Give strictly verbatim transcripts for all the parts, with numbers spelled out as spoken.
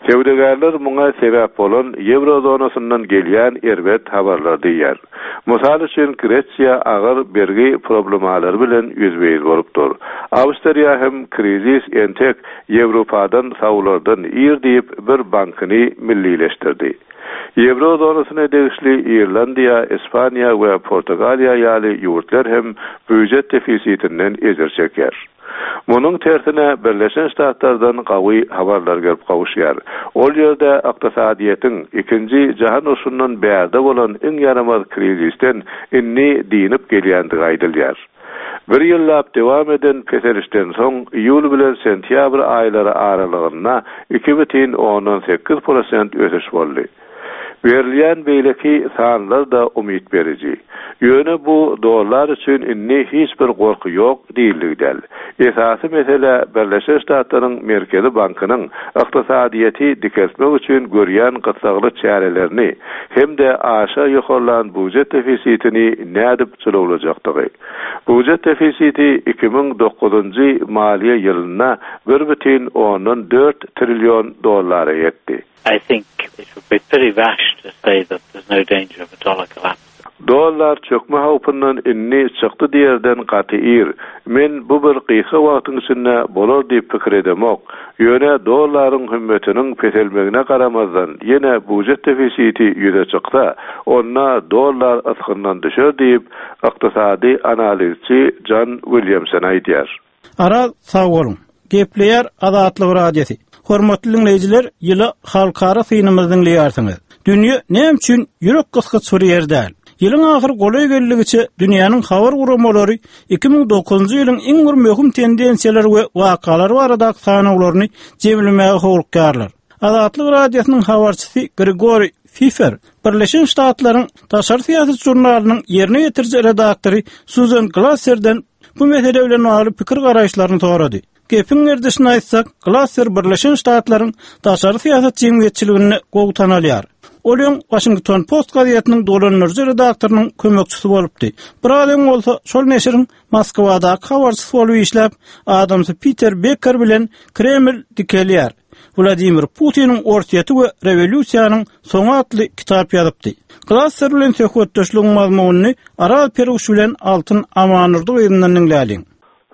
Söwdagärler muňa sebäp bolan ýewro zonasyndan gelýän erbet habarlar diýýär. Mysal üçin Gresiýa agyr bergi problemalary bilen ýüzbe-ýüz bolupdyr. Awstriýa hem krizis entek Ýewropadan sawlardan ir diýip bir bankyny millileşdirdi. Ýewro zonasyna degişli Irlandiýa, Ispaniýa we Portugaliýa ýaly ýurtlar hem býujet defisitinden ejir çekýär. Munuň tersine Birleşen Ştatlardan gawy habarlar gelip gowuşýar. Ol ýerde ykdysadyýetiň ikinji jahan urşundan bärde bolan iň ýaramaz krizisden indi dinip gelýändigi aýdylýar. Bir ýyllap dowam eden peselişden soň iýul bilen sentýabr aýlary aralygynda iki bütin ondan sekiz prosent ösüş boldy. Berilýän beýleki sanlar da umyt beriji. Ýöne bu dollar üçin indi hiç bir gorky ýok diýildigi däl. Esasy mesele Birleşen Ştatlaryň Merkezi bankynyň ykdysadyýeti dikeltmek üçin görýän gyssagly çärelerini hem-de aşa ýokarlan býujet defisitini nädip jylawlajakdygy. Býujet defisiti iki müň dokuzynjy maliýe ýylynda bir bütin ondan dört trillion dollara ýetdi. I think it would be pretty rash to say that there's no danger of a dollar collapse. Dollar çökme howpundan indi çykdy diýerden gaty ir. Men bu bir gysga wagtyň içinde bolar diýip pikir edemok. Ýöne dollaryň hümmetiniň peselmegine garamazdan ýene býujet defisiti ýüze çyksa, onda dollar ysgyndan düşer diýip ykdysady analizçi John Williamson aýdýar. Araz sag boluň. Gepleýär Azatlyk Radiosy. Hormatly dinleýjiler, ýyly halkara synymyzy dinleýärsiňiz. Dünýä näme üçin ýürek gysgyç bir ýer däl? Ýylyň ahyr golaý geldigiçe dünýäniň habar guramalary iki müň dokuzynjy ýylyň iň bir möhüm tendensiýalary we wakalary baradaky sanawlaryny jemlemäge howlukýarlar. Azatlyk Radiosynyň habarçysy Grigori Fifer, Birleşen Ştatlaryň daşary syýasat žurnalynyň ýerine ýetiriji redaktory Susan Glasserden bu mesele bilen bagly pikir garaýyşlaryny sorady. Gepiň gerdişini aýtsak, Glasser Birleşen Ştatlaryň daşary syýasat jemgyýetçiliginde gowy tanalýar. Ol öň Washington Post gazetiniň dolandyryjy redaktorynyň kömekçisi bolupdy. Biraz öň bolsa şol neşiriň Moskwadaky habarçysy bolup işläp, adamsy Peter Becker bilen Kreml dikelýär. Vladimir Putiniň Orsýeti we rewolýusiýanyň soňy atly kitap ýazypdy. Glasser bilen söhbetdeşligiň mazmunyny Aral Peruş bilen Altyn Amanurdy gyzyndan diňläliň.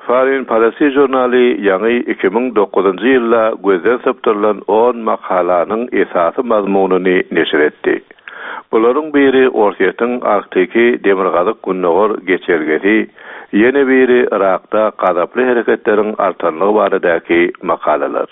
Foreign Policy žurnaly ýaňy iki müň dokuzynjy ýylda gözden sypdyrylan on makalanyň esasy mazmunyny neşir etdi. Bularyň biri Orsýetiň Arktiki Demirgazyk Gündogar geçelgesi, ýene biri Irakda gazaply hereketleriň artanlygy baradaky makalalar.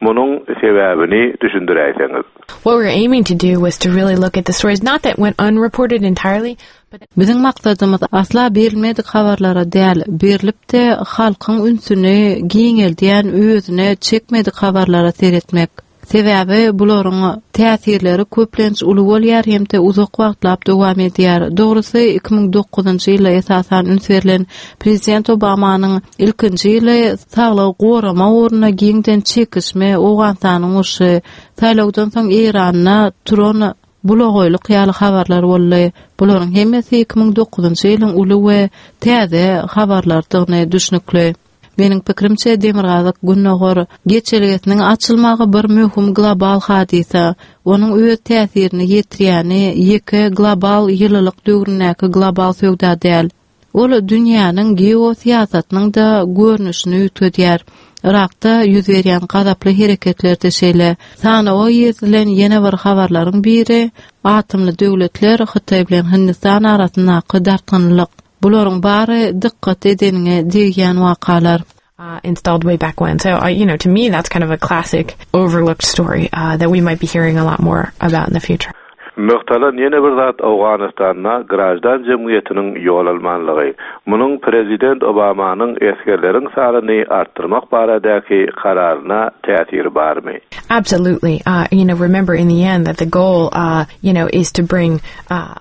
Munuň sebäbini düşündiräýseňiz. What we were aiming to do was to really look at the stories, not that went unreported entirely, but Biziň maksadymyz asla berilmedik habarlara däl, berilip-de halkyň ünsüni giňeldýän özüne çekmedik habarlara seretmek. Sebäbi bularyň täsirleri köplenç uly bolýar hem-de uzak wagtlap dowam edýär. Dogrusy iki müň dokuzynjy ýylda esasan üns berlen Prezident Obamanyň ilkinji ýyly saglygy gorama ugrunda giňden çekişme, Owganystanyň urşy, saýlawdan soň Eýranda turan bulagoýluk ýaly habarlar boldy. Bularyň hemmesi iki müň dokuzynjy ýylyň uly we täze habarlardygyny düşnükli. Meniň pikrimçe Demirgazyk Gündogar geçelgesiniň açylmagy bir möhüm global hadysa. Onuň öz täsirini ýetirýäni ýeke global ýylylyk döwründäki global söwda däl. Ol dünýäniň geosyýasatynyň da görnüşini üýtgedýär. Irakda ýüz berýän gazaply hereketlerde şeýle. Sanawa girizilen ýene bir habarlaryň biri atomly döwletler Hytaý bilen Hindistan arasyndaky dartgynlyk. Bularyň bary dykgat edeniňe degýän wakalar. Uh, installed way back when. So, uh, you know, to me, that's kind of a classic overlooked story, uh, that we might be hearing a lot more about in the future. Nygtalan ýene bir zat Owganystanda grajdan jemgyýetiniň ýol almanlygy. Munuň Prezident Obamanyň esgerleriň sanyny artdyrmak baradaky kararyna täsiri barmy? Absolutely. Uh, you know, remember in the end that the goal, uh, you know, is to bring, uh,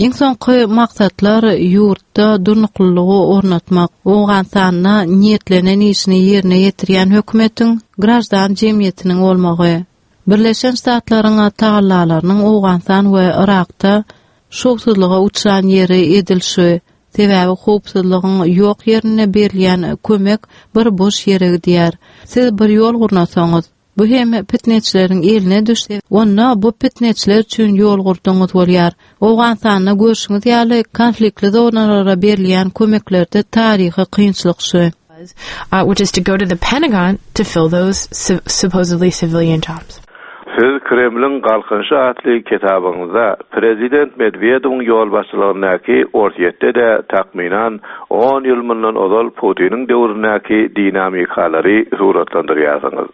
Iň soňky maksatlar ýurtda durnuklylygy ornatmak, Owganystanda niýetlenen işini ýerine ýetirýän hökümetiň grajdan jemgyýetiniň bolmagy. Birleşen Ştatlaryň tagallalarynyň Owganystan we Irakda şowsuzlyga uçran ýeri edil şu. Sebäbi howpsuzlygyň ýok ýerine berilýän kömek bir boş ýere gidýär. Siz bir ýol gurnasaňyz, Bu hem pitneçileriň eline düşse, onda bu pitneçiler üçin ýol gurduňyz bolýar. Owganystanda görşüňiz ýaly konfliktli zonalara berilýän kömeklerde taryhy kynçylyk şu. Uh, which is to go to the Pentagon to fill those supposedly civilian jobs. Siz Kremlin Galkynyşy atly kitabyňyzda Prezident Medwedewiň ýolbaşçylygyndaky Orsýetde-de takmynan on ýyl mundan ozal Putiniň döwründäki dinamikalary suratlandyrýarsyňyz.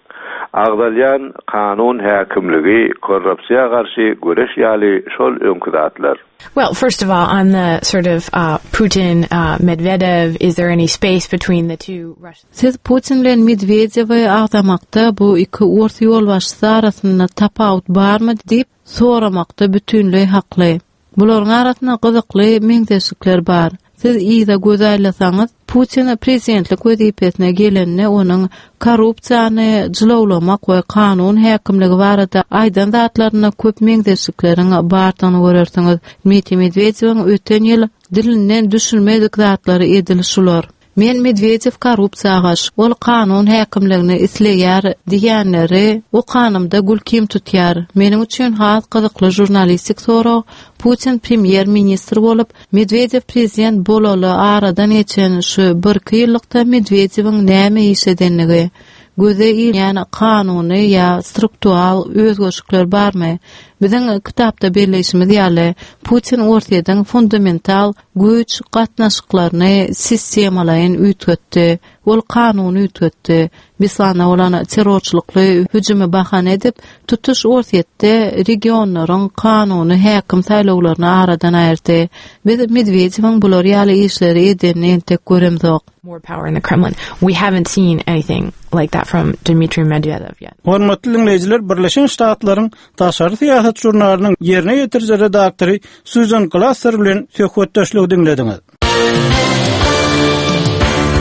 Agzalýan kanun häkimligi, korrupsiýa garşy göreş ýaly şol öňki zatlar. Well, first of all, on the sort of uh, Putin, uh, Medvedev, is there any space between the two Russians? Siz Putin bilen Medvedevi agzamakda bu iki ors ýolbaşçysy arasynda tapawut barmy diýip soramakda bütünleý hakly. Bularyň arasynda gyzykly meňzeşlikler bar. Siz yza göz aýlasaňyz, Putin prezidentlik wezipesine gelende onuň korrupsiýany jylawlamak we kanun häkimligi barada aýdan zatlaryna köp meňzeşlikleriň bardygyny görersiňiz. Dmitriý Medvedewiň öten ýyl dilinden düşünmedik zatlary edil şular. Men Medvedev korrupsiýa garşy, ol kanun häkimligini isleýär diýenleri o kanunda gül kim tutýar. Meniň üçin has gyzykly žurnalistik sorag Putin premýer ministr bolup, Medvedev prezident bolaly aradan geçen şu bir iki ýyllykda Medvedeviň näme iş edenligi, göze ilýän kanuny ýa struktural özgerişlikler barmy? Biziň kitapda belleýşimiz ýaly, Putin Orsýetiň fundamental güýç gatnaşyklaryny sistemalaýyn üýtgetdi. Ol kanuny üýtgetdi. Bislanda bolan terrorçylykly hüjümi bahana edip, tutuş Orsýetde regionlaryň kanuny häkim saýlawlaryny aradan aýyrdy. Biz Medvedeviň bular ýaly işleri edenini entek göremzok. More power in the Kremlin. We haven't seen anything like that from Dmitry Medvedev yet. Hormatly dinleýjiler, Birleşen Ştatlaryň Daşary Syýasat žurnalynyň ýerine ýetiriji redaktory Susan Glasser bilen söhbetdeşligi diňlediňiz.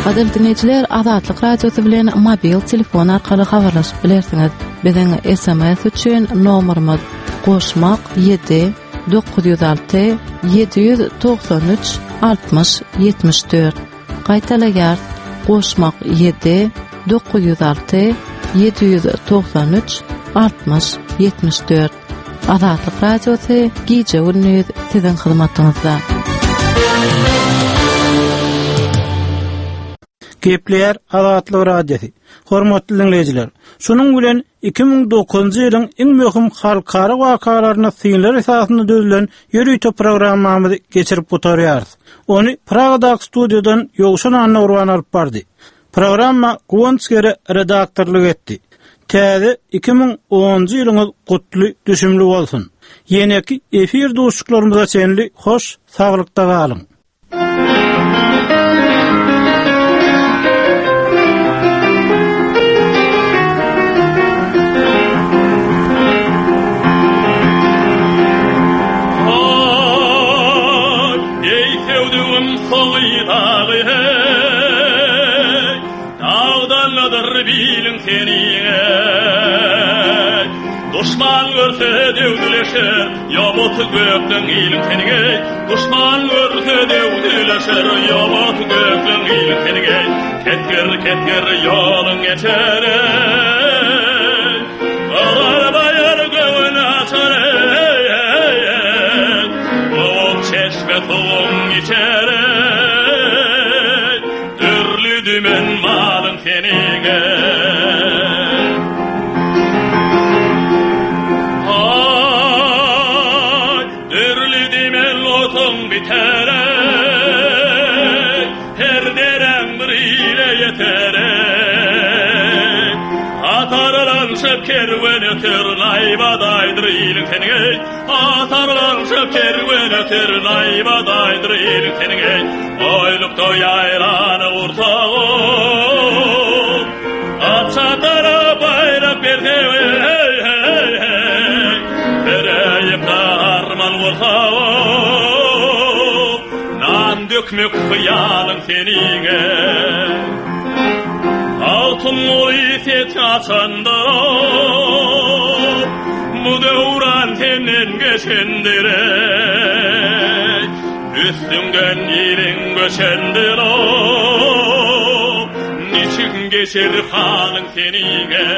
Gadyrly dinleýjiler, Azatlyk Radiosy bilen mobil telefon arkaly habarlaşyp bilersiňiz. Biziň S M S üçin nomerimiz goşmak ýedi dokuz ýüz alty ýedi ýüz togsan üç altmyş ýetmiş dört. Gaýtalaýar, goşmak ýedi dokuz ýüz alty ýedi ýüz togsan üç altmyş ýetmiş dört. Azatlyk Radiosy gije gündüz siziň hyzmatyňyzda. Gepleýär Azatlyk Radiosy. Hormatly dinleýjiler, şunuň bilen iki müň dokuzynjy ýylyň iň möhüm halkara wakalaryna synlar esasynda düzülen ýörite programmamyzy geçirip gutarýarys. Ony Pragadaky studiýadan Ýowşan Annagurban alyp bardy. Programma Guwanç Gere redaktorlyk etdi. Täze iki müň onunjy ýylyňyz gutly düşümli bolsun. Ýeneki efir duşuşyklarymyza çenli hoş saglykda galyň. Düşman görse döwdüleşer, ýabat gökleň iliň tenige. Düşman görse döwdüleşer, ýabat gökleň iliň tenige. Ketger ketger ýoluň geçer. Agar baýar göwün açar. Soğuk çeşme soğuk içer. Dürlü dümen malın tenige. Kerwen öter naýbadaýdyr iliň tenige. Atarlanşyp kerwen öter naýbadaýdyr iliň tenige. Oýlukda ýaýlany gursagy, Atçatara baýrak berse, hey, hey, hey. Bereýip arman gursagy, Nan dökmek hyýalyň seniňe. Altın oy set açandır, bu döwran senden geçendir. Üstüňden iliň göçendir, niçin geçer halyň seniňe.